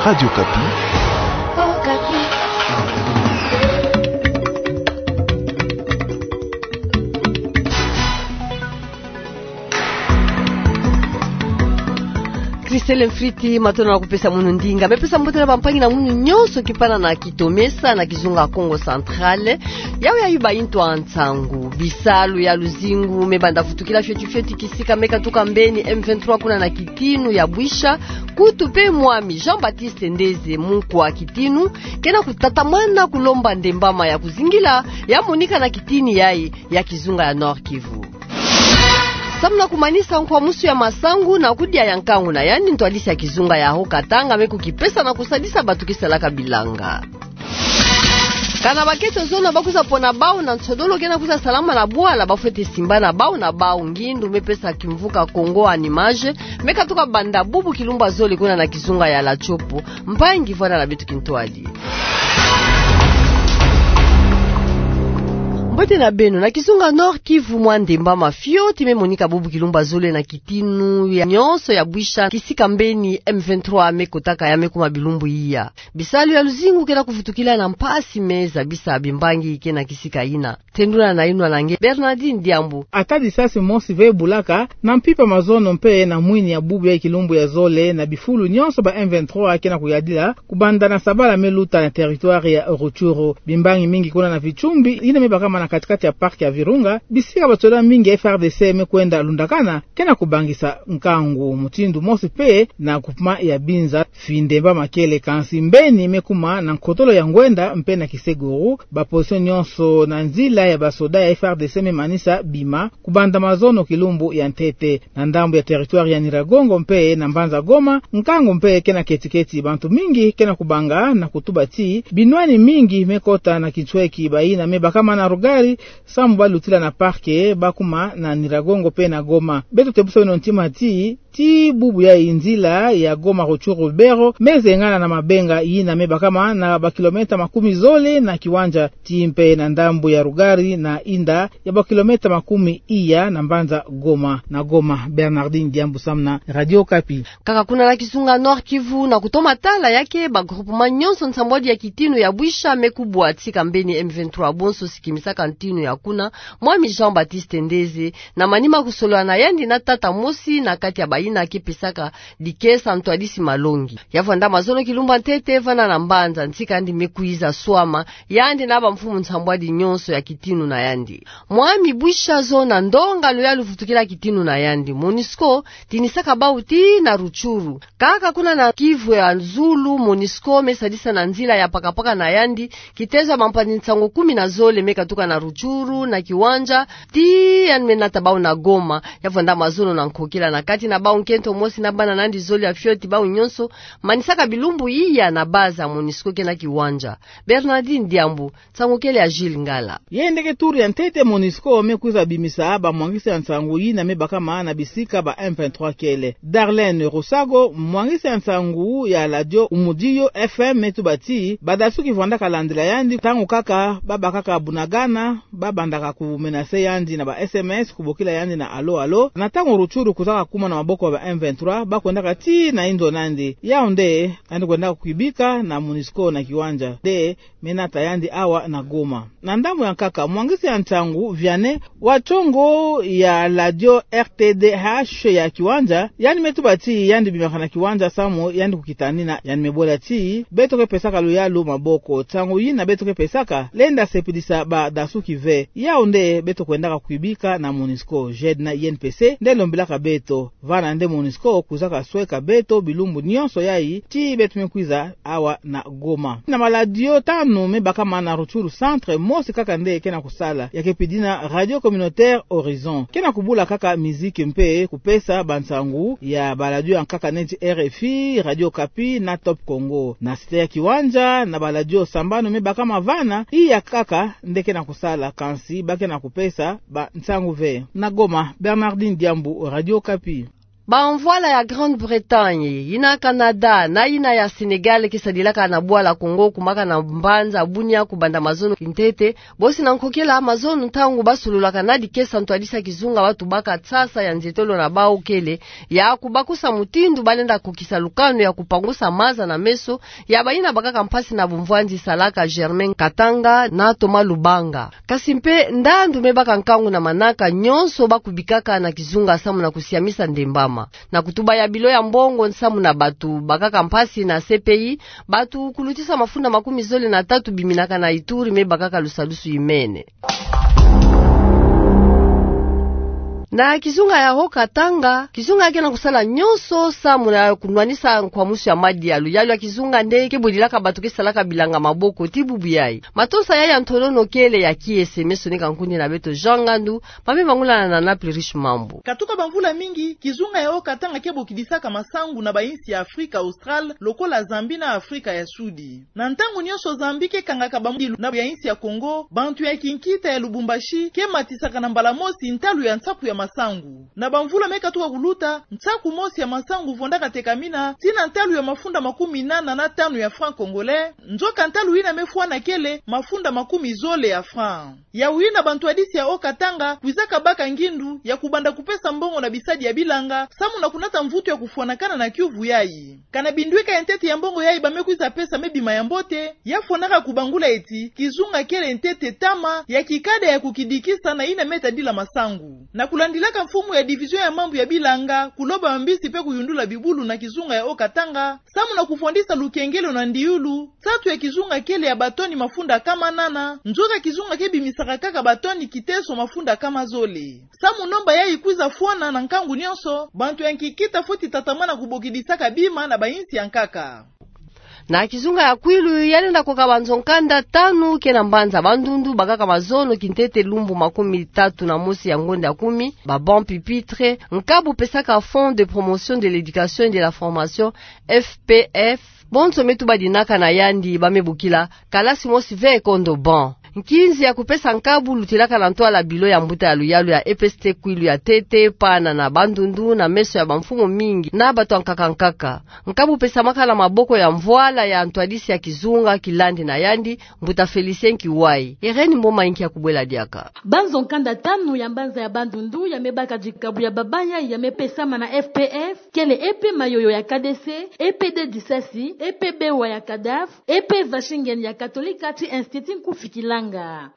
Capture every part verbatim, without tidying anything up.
Radio Okapi. Christelle Mfriti, matondo na kupesa munu ndinga. Me pesa mbote na bampangi na munu nyonso kipana na kitomesa na kizunga Kongo Central. Yawe ya yuba into a nsangu. Bisalu ya luzingu me banda vutukila fioti fioti kisika me katuka mbeni M vingt-trois kuna na kitinu ya Bwisha. Kutu pe mwami Jean-Baptiste Ndeze, munkwa kitinu, kena kutatamana kulomba ndembama ya kuzingila, ya monika na kitini yayi ya kizunga ya Nord-Kivu. Samu na kumanisa nkwamusu ya masangu na kudia ya nkangu na yandi, ntwadisi ya kizunga ya Haut-Katanga me kukipesa na kusadisa bato kisalaka bilanga. Kana bakento zona bakwiza pona bau na nsodolo kena kwiza salama na bwala, bafweti simbana bau na bau. Ngindu me pesa kimvuka Congo en Images me katuka banda bubu kilumbu ya zole kuna na kizunga ya Latshopo. Mpangi, vwanda na beto kintwadi. Mbote na beno. Na kizunga Nord-Kivu, mwa ndembama fioti me monika bubu kilumbu ya zole na kitinu ya nyonso ya Bwisha, kisika mbeni M vingt-trois me kotaka ya me kuma bilumbu iya. Bisalu ya luzingu kena kuvutukila na mpasi me zabisa bimbangi kena kisika yina. Tendula na inwa na nge Bernardine Diambu. Ata disasi mosi ve bulaka na mpimpa mazono mpe na mwini ya bubu ya kilumbu ya zole na bifulu nyonso ba M vingt-trois kena kuyadila kubanda na sabala me luta na territoire ya Rutshuru. Bimbangi mingi kuna na Vichumbi, yina me bakama na kati-kati ya parc ya Virunga, bisika basoda mingi ya F A R D C me kwenda lundakana, kena kubangisa nkangu. Mutindu mosi mpe na groupement ya Binza, fi ndembama kele, kansi mbeni me kuma na nkotolo ya Ngwenda mpe na Kiseguru, ba position nyonso na nzila ya basoda ya F A R D C me manisa bima kubanda mazono kilumbu ya ntete. Na ndambu ya territoire ya Nyiragongo mpe na mbanza Goma, nkangu mpe kena keti-keti. Bantu mingi kena kubanga na kutuba ti binwani mingi me kota na kintweki, bayina me bakama na rugari samu balutila na parc, bakuma na Nyiragongo mpe na Goma. Beto tebusa beno ntima ti, ti bubu ya nzila ya Goma Rutshuru Lubero me zengana na mabenga yina me bakama na ba kilomètre makumi zole na kiwanja, ti mpe na ndambu ya rugari na inda ya ba kilomètre makumi iya na mbanza Goma. Na Goma, Bernardine Diambu samu na Radio Okapi. Kaka kuna na kizunga Nord-Kivu, na kutoma tala ya ke ba groupement nyonso nsambwadi ya kitinu ya Bwisha me kubwa, tika mbeni M vingt-trois bonso sikimisaka ntinu ya kuna, mwami Jean-Baptiste Ndeze, na manima kusolola na yandi na tata mosi na kati ya bayina ke pesaka dikesa, ntwadisi Malongi. Ya vwanda mazono kilumbu ya ntete vana na mbanza, ntika yandi me kwiza swama, yandi na bamfumu nsambwadi nyonso ya kitinu na yandi. Mwami Bwisha zona ndonga luyalu vutukila kitinu na yandi. MONUSCO tinisaka bau tii na Rutshuru. Kaka kuna na Kivu ya Zulu, MONUSCO me sadisa na nzila ya pakapaka na yandi kitezo ya bampanzi nsangu kumi na zole me katuka na Rutshuru na Kiwanja, tii yandi me nata bau na Goma. Ya vwanda mazono na nkokila na kati na bau, nkento mosi na bana na yandi zole ya fioti, bau nyonso manisaka bilumbu iya na base ya MONUSCO ke na Kiwanja. Bernardine Diambu, nsangu kele ya Gilles Ngala. Yende ke tour ya ntete MONUSCO me kwiza bimisa bamwangisi ya nsangu yina me bakama na bisika ba M vingt-trois kele. Darlene Rusago, mwangisi ya nsangu ya Radio Umudio F M, me tuba ti badasuki vwandaka landila yandi, ntangu kaka babakaka Bunagana, babandaka kumenase yandi na ba S M S, kubokila yandi na allô, allô. Na ntangu Rutshuru kwizaka kuma na maboko ya ba M vingt-trois, bakwendaka tii na inzo na yandi. Yau nde yandi kwendaka kwibika na MONUSCO na Kiwanja, nde me nata yandi awa na Goma. Na ndambu ya nkaka, mwangisi ya nsangu Vianney, wa ntongo ya radio R T D H ya Kiwanja, yandi me tuba ti yandi bimaka na Kiwanja samu yandi kukitanina, yandi me bola ti beto ke pesaka luyalu maboko. Nsangu yina beto ke pesaka lenda sepilisa badasuki ve. Yau nde beto kwendaka kwibika na MONUSCO. Jedna Yen Pese nde lombilaka beto. Vana nde MONUSCO kwizaka sweka beto bilumbu nyonso yayi, tii beto me kwiza awa na Goma. Na maladio tanu me bakama na Rutshuru Centre, mosi kaka nde ke na kusala, ya ke pidina Radio Communautaire Horizon. Ke na kubula kaka miziki mpe kupesa bansangu ya baladio ya nkaka neti R F I, Radio Okapi na Top Congo. Na cité ya Kiwanja, na baladio sambanu me bakama vana, iya kaka nde ke na kusala, kansi ba ke na kupesa bansangu ve. Na Goma, Bernardine Diambu, Radio Okapi. Bamvwala ya Grande-Bretagne, yina Canada, na yina ya Sénégal, ke sadilaka na bwala Congo, kumaka na mbanza Bunia, kubanda mazono kintete, bosi na nkokela mazono ntangu basololaka na dikesa ntwadisi ya kizunga, batubaka nsasa ya nzietolo na bau kele ya kubakusa mutindu balenda kokisa lukanu ya kupangusa maza na meso ya bayina bakaka mpasi na bumvwanzi, salaka Germain Katanga na Thomas Lubanga. Kasi mpe ndandu me baka nkangu na manaka nyonso bakubikaka na kizunga samu na kusiamisa ndembama. Na kutuba ya bilo ya mbongo samu na batu bakaka mpasi na C P I, batu kulutisa mafunda makumi zole na tatu biminaka na Ituri me bakaka lusalusu imene. Na kizunga ya Haut-Katanga, kizunga ke na kusala nyonso samu na kunwanisa nkwamusu ya madi ya luyalu ya kizunga nde ke bwidilaka batu ke salaka bilanga maboko ti bubu yayi. Matonsa yayi ya ntolono kele ya kiese, me sonika nkundi na beto Jean Ngandu, ba me bangula na Naples Riche Mambu. Katuka bamvula mingi, kizunga ya Haut-Katanga ke bokidisaka masangu na bayinsi ya Afrika Austral, lokola Zambie na Afrika ya Sudi. Na ntangu nyonso Zambie ke kangaka bamdilu na ya insi ya Congo, bantu ya kinkita ya Lubumbashi ke matisaka na mbala mosi ntalu ya nsaku ya masangu. Na bamvula me katuka kuluta, nsaku mosi ya masangu vondaka tekamina tii na ntalu ya mafunda makumi nana na tanu ya franc congolais, nzoka ntalu yina me fwana kele mafunda makumi zole ya franc. Yawu yina bantwadisi ya Haut-Katanga kwizaka baka ngindu ya kubanda kupesa mbongo na bisadi ya bilanga, samu na kunata mvutu ya kufwanakana na kiuvu yayi. Kana binduika ya ntete ya mbongo yayi ba me kwiza pesa me bima ya mbote, ya fwanaka kubangula ti kizunga kele ntete ntama ya kikada ya kukidikisa na yina me tadila masangu. Na kulandilaka mfumu ya division ya mambu ya bilanga, kuloba mabisi mpe kuyundula bibulu na kizunga ya Haut-Katanga, samu na kufondisa lukengelo na ndiulu, nsatu ya kizunga kele ya batoni mafunda nkama nana, nzoka kizunga ke bimisaka kaka batoni kiteso mafunda nkama zole. Samu nomba yayi kwiza fwana na nkangu nyonso, bantu ya kinkita fweti tatamana kubokidisaka bima na bayinsi ya nkaka. Na kizunga ya Kwilu, ya lenda koka banzo nkanda tanu ke na mbanza Bandundu, bakaka mazono kintete lumbu makumi tatu na mosi ya ngonda ya kumi, ba banc pupitre, nkabu pesaka Fonds de promotion de l'éducation et de la formation, F P F, bonso me tubadinaka na yandi ba me bokila kalasi mosi ve ekondo banc. Nkinzi ya kupesa nkabu lutilaka na ntwala bilo ya mbuta ya luyalu ya E P S T Kwilu ya ntete, pana na Bandundu, na meso ya bamfumu mingi na bato ya nkaka nkaka. Nkabu pesamaka na maboko ya mvwala ya ntwadisi ya kizunga kilandi na yandi, mbuta Félicien Kiwai. Irène Mboma Inki ya kubwela diaka. Banzo nkanda tanu ya mbanza ya Bandundu ya me baka dikabu ya baba yayi ya me pesama na F P F, kele E P Mayoyo ya K D C, E P D Disasi, E P Bewa ya Cadaf, E P Vashingen ya Katolika ti Institut Nkufi Kilanga.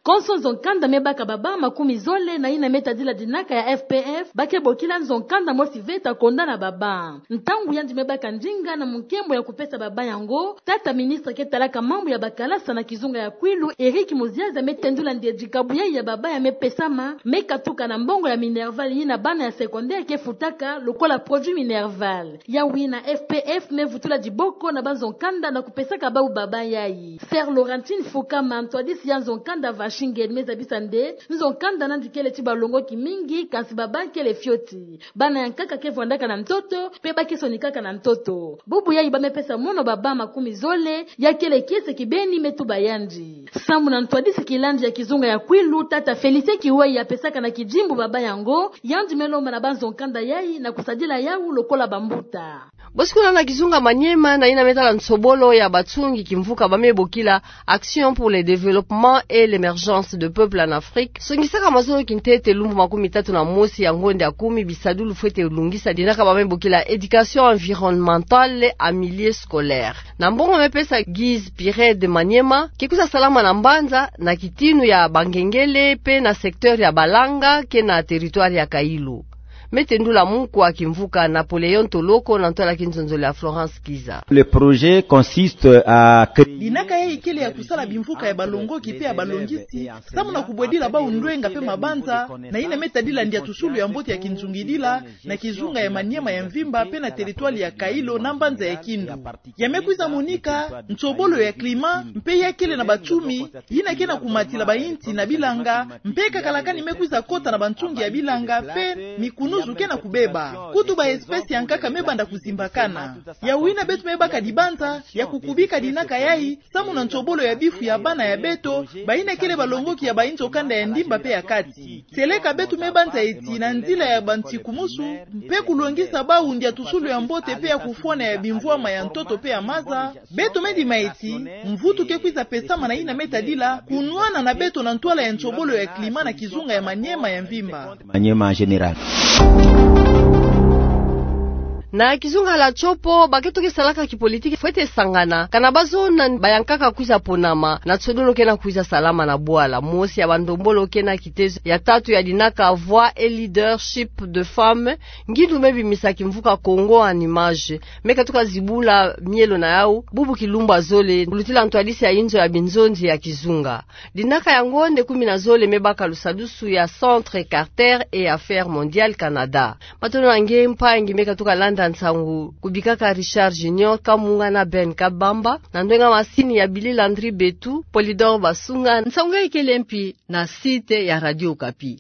Konso nzo nkanda me baka baba makumi zole na yina me tadila dinaka ya F P F, ba ke bokila nzo nkanda mosi ve ta konda na baba. Ntangu yandi me baka ndinga na munkembo ya kupesa baba yango, tata ministre ke talaka mambu ya bakalasa na kizunga ya Kwilu, Eric Muziaza, me tendula nde dikabu yayi ya baba ya me pesama, me katuka na mbongo ya minerval yina bana ya secondaire ke futaka lokola produit minerval. Yawu yina F P F me vutula diboko na banzo nkanda na kupesaka bawu baba yayi. Sœur Laurentine Fukama, ntwadisi ya nzo nkanda Vashingen, me zabisa nde nzo nkanda nandi kele ti balongoki mingi, kansi baba kele fioti. Bana ya nkaka ke vwandaka na ntoto, mpe ba ke sonikaka na ntoto. Bubu yayi ba me pesa mono baba makumi zole, ya kele kiese kibeni, me tuba yandi. Samu na ntwadisi kilandi ya kizunga ya Kwilu, tata Félicien Kiwai, ya pesaka na kidimbu baba yango, yandi me lomba na banzo nkanda yayi na kusadila yawu lokola bambuta. Bosi kuna na kizunga Maniema, na yina me tala nsobolo ya batsungi kimvuka ba me bokila Action pour le développement et l'émergence de peuples en Afrique, songisaka mazono kintete lumbu makumi tatu na mosi ya ngonda ya kumi bisadulu fwete lungisa dinaka ba me bokila éducation environnementale en milieu scolaire. Na mbongo me pesa Guise Pire de Maniema, ke kwiza salama na mbanza, na kitinu ya bangengele, mpe na secteur ya Balanga, ke na territoire ya Kailo. Me tendula munkwa kimvuka Napoléon Toloko na ntwala kinzonzolo ya Florence Kiza. Le projet consiste à créer... Dinaka yayi kele ya kusala bimvuka ya balongoki mpe ya balongisi, samu na kubwedila bawu ndwenga mpe mabanza, na yina me tadila ndiatusulu ya mbote ya kinzungidila, na kizunga ya Maniema ya mvimba mpe na territoire ya Kailo na mbanza ya Kindu. Ya me kwiza monika nsobolo ya climat, mpe ya kele na batsumi, yina ke na kumatila bayinsi na bilanga, mpe kakalakani me kwiza kota na bansungi ya bilanga, mpe mikunu mosusu ke na kubeba. Kutu ba espèces ya nkaka me banda kuzimbakana. Ya wina beto me baka dibanza ya kukubika dinaka yayi, samu na nsobolo ya bifu ya bana ya beto, bayina kele balongoki ya ba inzo kanda ya ndimba pe ya kati. Seleka beto me banza eti na nzila ya bansiku mosi, mpe kulongisa bau ndiatusulu ya mbote pe ya kufwana ya bimvwama ya ntoto pe ya maza, beto me dima eti mvutu ke kwiza pesama na yina me tadila kunwana na beto na ntwala ya nsobolo ya climat na kizunga ya Maniema ya mvimba. Maniema en général. Na kizunga la Tshopo, ba keto ke salaka kipolitiki fwete sangana, kana bazona bayankaka kwiza ponama na nsodolo ke na kwiza salama na bwala. Mosi ya bandombolo ke na kitezo ya tatu ya dinaka Voix et Leadership de Femmes, ngindu me bimisa kimvuka Congo en images, me katuka zibula mielo na yau, bubu kilumbu ya zole, kulutila ntwadisi ya inzo ya binzonzi ya kizunga. Dinaka yango nde kumi na zole me baka lusadusu ya Centre Carter et Affaires Mondiales Canada. Matondo na nge mpangi me katuka landa nsangu, kubikaka Richard Junior Kamunga na Ben Kabamba, na ndwenga masini ya Billy Landry Betu, Polydor Basunga, nsangu ikele mpi na site ya Radio Okapi.